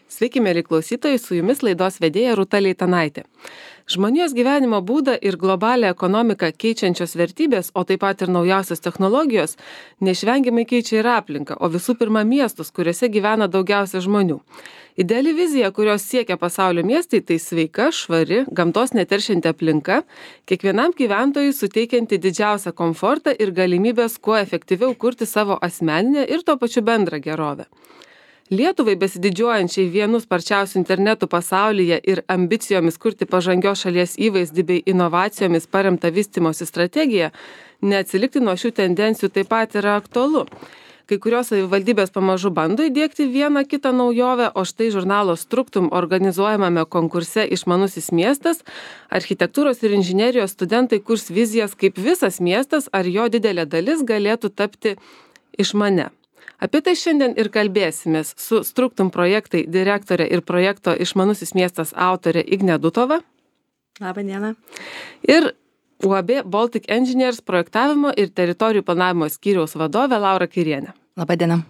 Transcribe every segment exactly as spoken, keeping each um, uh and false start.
Sveiki, mėly klausytojai, su jumis laidos vedėja Rūta Leitanaitė. Žmonijos gyvenimo būdą ir globalią ekonomiką keičiančios vertybės, o taip pat ir naujausios technologijos, neišvengiamai keičia ir aplinką, o visų pirma miestus, kuriuose gyvena daugiausia žmonių. Ideali vizija, kurios siekia pasaulio miestai, tai sveika, švari, gamtos neteršianti aplinka, kiekvienam gyventojui suteikianti didžiausią komfortą ir galimybės kuo efektyviau kurti savo asmeninę ir tuo pačiu bendrą gerovę. Lietuvai besididžiuojančiai vienu sparčiausių internetų pasaulyje ir ambicijomis kurti pažangios šalies įvaizdį bei inovacijomis paremtą vystymosi strategiją, neatsilikti nuo šių tendencijų taip pat yra aktualu. Kai kurios savivaldybės pamažu bando įdiegti vieną kitą naujovę, o štai žurnalo Struktum organizuojamame konkurse Išmanusis miestas, architektūros ir inžinerijos studentai kurs vizijas, kaip visas miestas ar jo didelė dalis galėtų tapti išmane. Apie tai šiandien ir kalbėsimės su Struktum projektai direktorė ir projekto Išmanusis miestas autorė Ignė Dutova. Labą dieną. Ir U A B Baltic Engineers projektavimo ir teritorijų planavimo skyriaus vadovė Laura Kairienė. Labą dieną.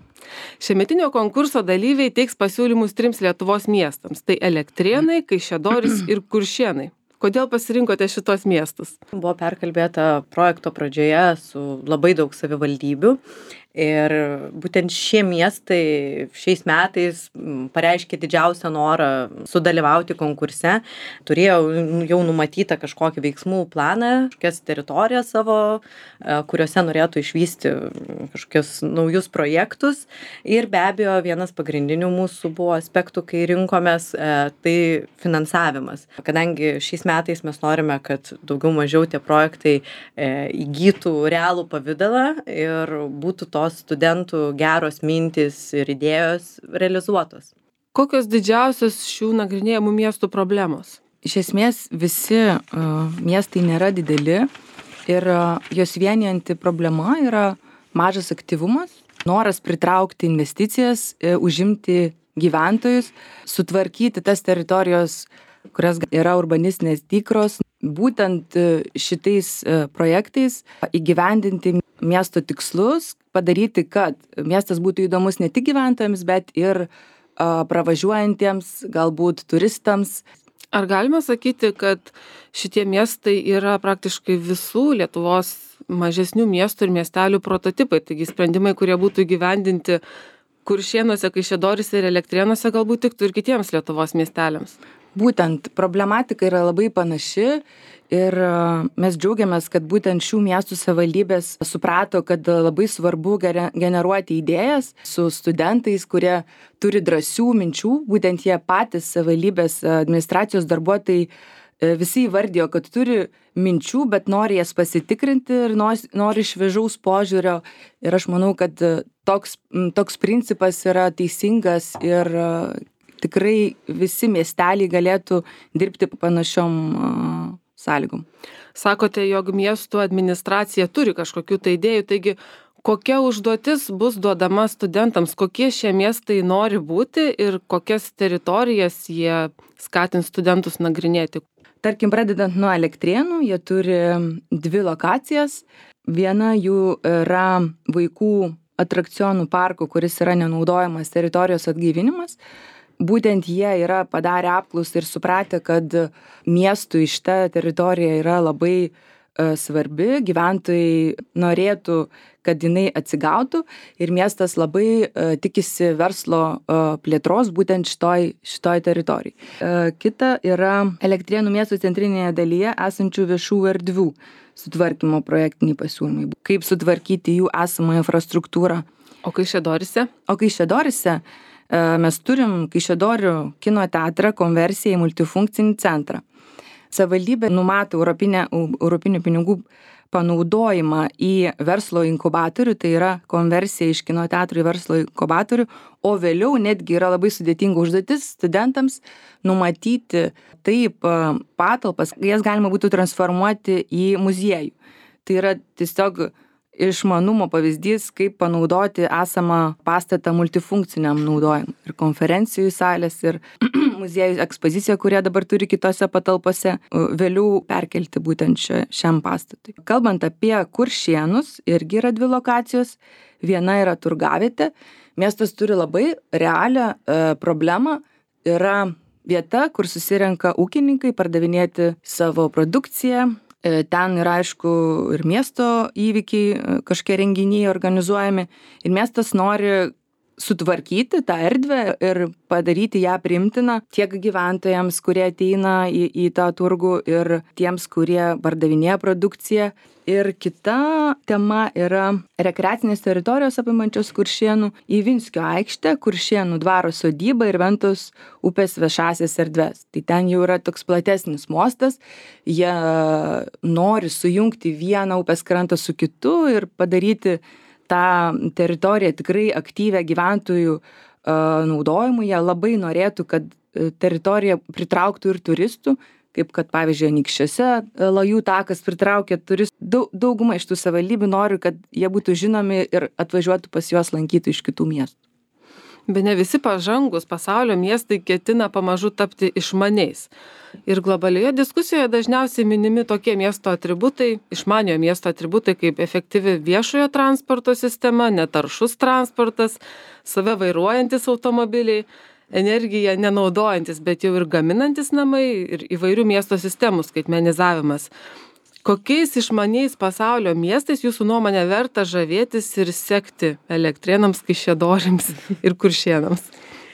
Šiemetinio konkurso dalyviai teiks pasiūlymus trims Lietuvos miestams. Tai Elektrėnai, Kaišiadorys ir Kuršėnai. Kodėl pasirinkote šitos miestus? Buvo perkalbėta projekto pradžioje su labai daug savivaldybių. Ir būtent šie miestai šiais metais pareiškė didžiausią norą sudalyvauti konkurse. Turėjo jau numatytą kažkokį veiksmų planą, kažkokias teritorijas savo, kuriuose norėtų išvysti kažkokius naujus projektus. Ir be abejo, vienas pagrindinių mūsų buvo aspektų, kai rinkomės, tai finansavimas. Kadangi šiais metais mes norime, kad daugiau mažiau tie projektai įgytų realų pavidalą ir būtų tos studentų geros mintys ir idėjos realizuotos. Kokios didžiausios šių nagrinėjamų miestų problemos? Iš esmės visi uh, miestai nėra dideli ir uh, jos vienijanti problema yra mažas aktyvumas, noras pritraukti investicijas, uh, užimti gyventojus, sutvarkyti tas teritorijos, kurias yra urbanistinės dykros. Būtent uh, šitais uh, projektais įgyvendinti miesto tikslus, padaryti, kad miestas būtų įdomus ne tik gyventojams, bet ir a, pravažiuojantiems, galbūt turistams. Ar galima sakyti, kad šitie miestai yra praktiškai visų Lietuvos mažesnių miestų ir miestelių prototipai, taigi sprendimai, kurie būtų įgyvendinti Kuršėnuose, Kaišiadoryse ir Elektrėnuose, galbūt tiktų ir kitiems Lietuvos miesteliams? Būtent problematika yra labai panaši ir mes džiaugiamės, kad būtent šių miestų savivaldybės suprato, kad labai svarbu generuoti idėjas su studentais, kurie turi drąsių minčių. Būtent jie patys savivaldybės administracijos darbuotojai visi įvardijo, kad turi minčių, bet nori jas pasitikrinti ir nori šviežaus požiūrio. Ir aš manau, kad toks, toks principas yra teisingas ir tikrai visi miesteliai galėtų dirbti panašiom uh, sąlygom. Sakote, jog miestų administracija turi kažkokių tai idėjų, taigi kokia užduotis bus duodama studentams, kokie šie miestai nori būti ir kokias teritorijas jie skatins studentus nagrinėti? Tarkim, pradedant nuo Elektrėnų, jie turi dvi lokacijas. Viena jų yra vaikų atrakcionų parko, kuris yra nenaudojamas teritorijos atgaivinimas. Būtent jie yra padarę apklausą ir supratę, kad miestui šita teritorija yra labai uh, svarbi, gyventojai norėtų, kad jinai atsigautų ir miestas labai uh, tikisi verslo uh, plėtros būtent šitoj, šitoj teritorijai. Uh, kita yra Elektrėnų miesto centrinėje dalyje esančių viešų erdvių sutvarkymo projektiniai pasiūlymai. Kaip sutvarkyti jų esamą infrastruktūrą. O Kaišiadoryse? O Kaišiadoryse mes turim Kaišiadorių kino teatrą konversiją į multifunkcinį centrą. Savivaldybė numato europinę, europinių pinigų panaudojimą į verslo inkubatorių, tai yra konversija iš kino teatrų į verslo inkubatorių, o vėliau netgi yra labai sudėtinga užduotis studentams numatyti taip patalpas, jas galima būtų transformuoti į muziejų. Tai yra tiesiog išmanumo pavyzdys, kaip panaudoti esamą pastatą multifunkciniam naudojimui. Ir konferencijų salės, ir muziejų ekspozicija, kurie dabar turi kitose patalpose, vėliau perkelti būtent šiam pastatui. Kalbant apie Kuršėnus, irgi yra dvi lokacijos. Viena yra turgavietė. Miestas turi labai realią e, problemą. yra vieta, kur susirenka ūkininkai pardavinėti savo produkciją. Ten yra, aišku, ir miesto įvykiai, kažkokie renginiai organizuojami. Ir miestas nori sutvarkyti tą erdvę ir padaryti ją priimtiną tiek gyventojams, kurie ateina į, į tą turgų, ir tiems, kurie pardavinėja produkciją. Ir kita tema yra rekreacinės teritorijos apimančios Kuršėnų Ivinskio aikštę, Kuršėnų dvaro sodybą ir Ventos upės viešąsias erdves. Tai ten jau yra toks platesnis mostas, jie nori sujungti vieną upės krantą su kitu ir padaryti tą teritoriją tikrai aktyvę gyventojų uh, naudojimui. Jie labai norėtų, kad teritorija pritrauktų ir turistų, kaip kad, pavyzdžiui, Anykščiuose Lajų takas pritraukia turistų. Dauguma iš tų savivaldybių nori, kad jie būtų žinomi ir atvažiuotų pas juos lankyti iš kitų miestų. Bene visi pažangus pasaulio miestai ketina pamažu tapti išmaniais. Ir globalioje diskusijoje dažniausiai minimi tokie miesto atributai, išmaniojo miesto atributai kaip efektyvi viešojo transporto sistema, netaršus transportas, save vairuojantis automobiliai, energiją nenaudojantis, bet jau ir gaminantis namai ir įvairių miesto sistemų skaitmenizavimas. Kokiais išmaniais pasaulio miestais jūsų nuomonė verta žavėtis ir sekti Elektrėnams, Kaišiadoriams ir Kuršėnams?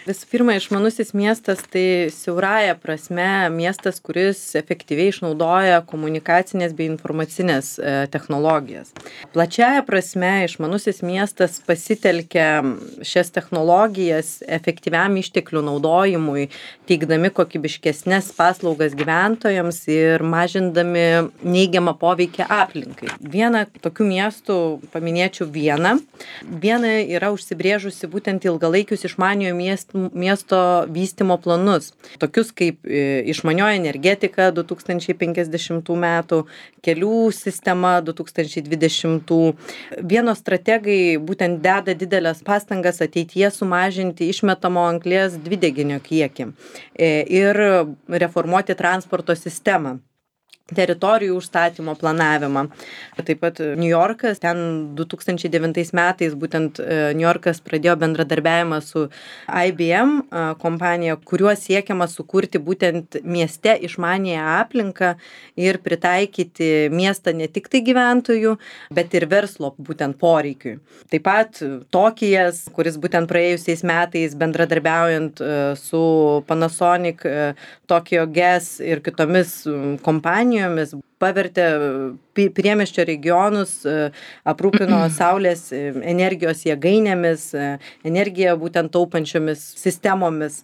Visų pirma, išmanusis miestas tai siaurąja prasme miestas, kuris efektyviai išnaudoja komunikacinės bei informacinės e, technologijas. Plačiaja prasme išmanusis miestas pasitelkia šias technologijas efektyviam išteklių naudojimui, teikdami kokybiškesnės paslaugas gyventojams ir mažindami neigiamą poveikį aplinkai. Vieną tokių miestų paminėčiau Vieną. Viena yra užsibrėžusi būtent ilgalaikius išmaniojo miestų miesto vystymo planus, tokius kaip išmanioji energetika du tūkstančiai penkiasdešimtų metų, kelių sistema du tūkstančiai dvidešimtų. Vienos strategai būtent deda didelės pastangas ateityje sumažinti išmetamo anglies dvideginio kiekį ir reformuoti transporto sistemą, teritorijų užstatymo planavimą. Taip pat New Yorkas, ten du tūkstančiai devintais metais būtent New Yorkas pradėjo bendradarbiavimą su I B M kompanija, kuriuo siekiama sukurti būtent mieste išmanėją aplinką ir pritaikyti miestą ne tik tai gyventojų, bet ir verslo būtent poreikiui. Taip pat Tokijas, kuris būtent praėjusiais metais bendradarbiaujant su Panasonic, Tokyo Gas ir kitomis kompanijomis pavertė priemiesčio regionus, aprūpino saulės energijos jėgainėmis, energiją būtent taupančiomis sistemomis.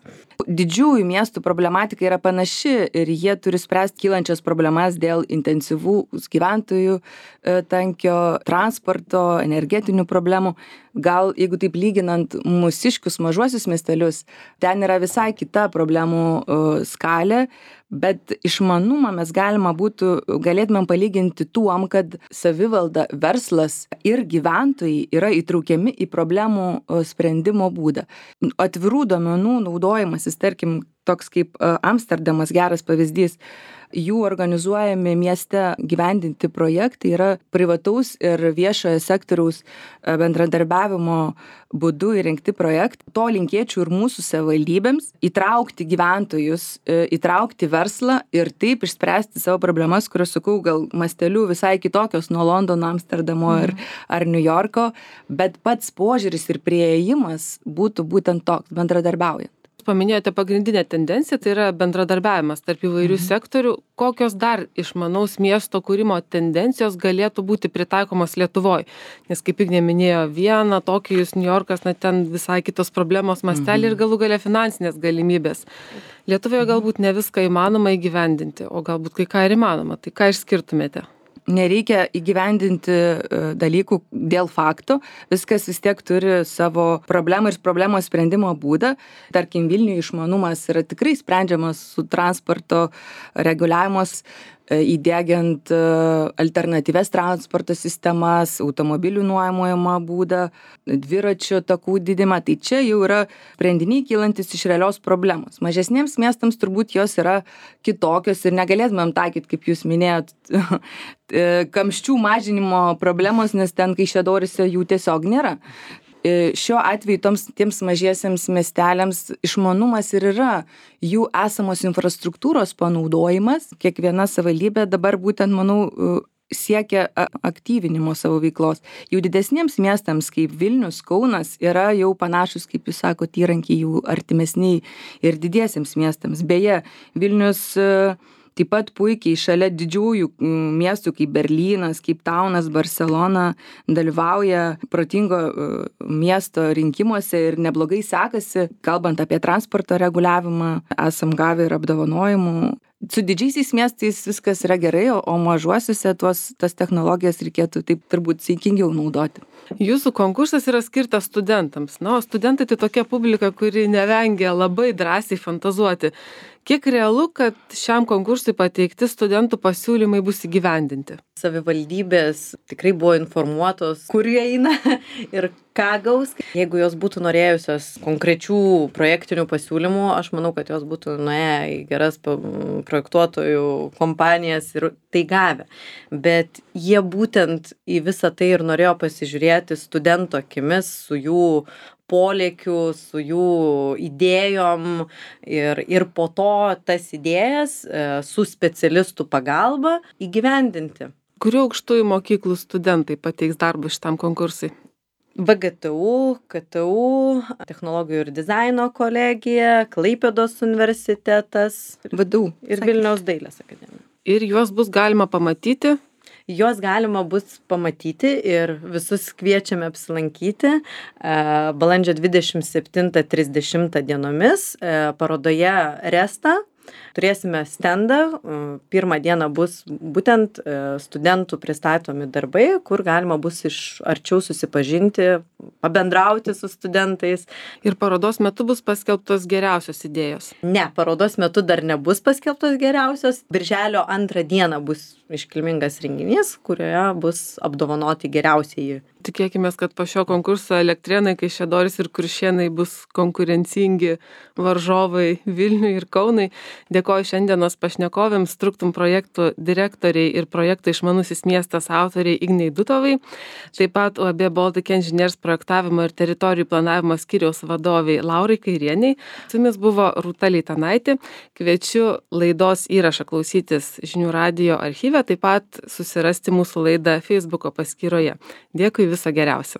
Didžiųjų miestų problematika yra panaši ir jie turi spręsti kylančias problemas dėl intensyvus gyventojų tankio, transporto, energetinių problemų. Gal, jeigu taip lyginant mūsiškius mažuosius miestelius, ten yra visai kita problemų skalė, bet išmanumą mes galima būtų, galėtumėm palyginti tuom, kad savivalda, verslas ir gyventojai yra įtraukiami į problemų sprendimo būdą. Atvirų duomenų naudojimasis, tarkim, toks kaip Amsterdamas geras pavyzdys, jų organizuojami mieste gyvendinti projektai yra privataus ir viešojo sektoriaus bendradarbiavimo būdu įrengti projektai. To linkėčiau ir mūsų savivaldybėms - įtraukti gyventojus, įtraukti verslą ir taip išspręsti savo problemas, kurios, sakau, gal masteliu visai kitokios nuo Londono, Amsterdamo ir, ar New Yorko, bet pats požiūris ir priėjimas būtų būtent toks, bendradarbiaujant. Paminėjote pagrindinę tendenciją, tai yra bendradarbiavimas tarp įvairių mhm. sektorių. Kokios dar išmanaus miesto kūrimo tendencijos galėtų būti pritaikomos Lietuvoje? Nes kaip Ignė minėjo, Viena, Tokijus, New Yorkas, na ten visai kitos problemos mastelį mhm. ir galų gale finansinės galimybės. Lietuvoje galbūt ne viską įmanoma įgyvendinti, o galbūt kai ką ir įmanoma. Tai ką išskirtumėte? Nereikia įgyvendinti dalykų dėl fakto, viskas vis tiek turi savo problemą ir problemos sprendimo būdą. Tarkim, Vilniuje išmanumas yra tikrai sprendžiamas su transporto reguliavimas, įdiegiant alternatyves transporto sistemas, automobilių nuomojimo būdą, dviračių takų didimą. Tai čia jau yra sprendiniai kylantis iš realios problemos. Mažesniems miestams turbūt jos yra kitokios ir negalėtumėm taikyti, kaip jūs minėjot, kamščių mažinimo problemos, nes ten Kaišiadoryse jų tiesiog nėra. e, šiuo atveju toms, tiems mažiesiems miesteliams išmanumas ir yra jų esamos infrastruktūros panaudojimas. Kiekviena savivaldybė dabar būtent, manau, siekia aktyvinimo savo veiklos. Jau didesniems miestams kaip Vilnius, Kaunas yra jau panašus, kaip jūs sakote, įrankiai jų artimesniai ir didiesiems miestams. Beje, Vilnius taip pat puikiai šalia didžiųjų miestų kaip Berlynas, kaip Taunas, Barcelona dalyvauja protingo miesto rinkimuose ir neblogai sekasi. Kalbant apie transporto reguliavimą, esam gavę ir apdovanojimų. Su didžiaisiais miestais viskas yra gerai, o mažuosiuose tuos, tas technologijas reikėtų taip turbūt saikingiau naudoti. Jūsų konkursas yra skirtas studentams. Na, o studentai tai tokia publika, kuri nevengia labai drąsiai fantazuoti. Kiek realu, kad šiam konkursui pateikti studentų pasiūlymai bus įgyvendinti? Savivaldybės tikrai buvo informuotos, kur jie eina ir ką gaus. Jeigu jos būtų norėjusios konkrečių projektinių pasiūlymų, aš manau, kad jos būtų nuėję į geras projektuotojų kompanijas ir tai gavę. Bet jie būtent į visą tai ir norėjo pasižiūrėti studento akimis su jų polėkių, su jų idėjom ir, ir po to tas idėjas su specialistų pagalba įgyvendinti. Kurių aukštųjų mokyklų studentai pateiks darbus šitam konkursui? V G T U, K T U, Technologijų ir dizaino kolegija, Klaipėdos universitetas V D U ir Vilniaus dailės akademija. Ir juos bus galima pamatyti? Juos galima bus pamatyti ir visus kviečiame apsilankyti balandžio dvidešimt septintą trisdešimtą dienomis parodoje Resta. Turėsime stendą, pirmą dieną bus būtent studentų pristatomi darbai, kur galima bus iš arčiau susipažinti, pabendrauti su studentais. Ir parodos metu bus paskelbtos geriausios idėjos? Ne, parodos metu dar nebus paskelbtos geriausios. Birželio antrą dieną bus iškilmingas renginys, kurioje bus apdovanoti geriausieji. Tikėkimės, kad po šio konkurso Elektrėnai, Kaišiadorys ir Kuršėnai bus konkurencingi varžovai Vilniui ir Kaunui. Dėkoju šiandienos pašnekovėms, Struktum projektų direktoriai ir projekto Išmanusis miestas autoriai Ignei Dutovai, taip pat U A B Baltic Engineers projektavimo ir teritorijų planavimo skyriaus vadoviai Laurai Kairieniai. Su jumis buvo Rūta Leitanaitė. Kviečiu laidos įrašą klausytis Žinių radijo archyve, taip pat susirasti mūsų laidą Facebooko paskyroje. Dėkui, viso geriausio.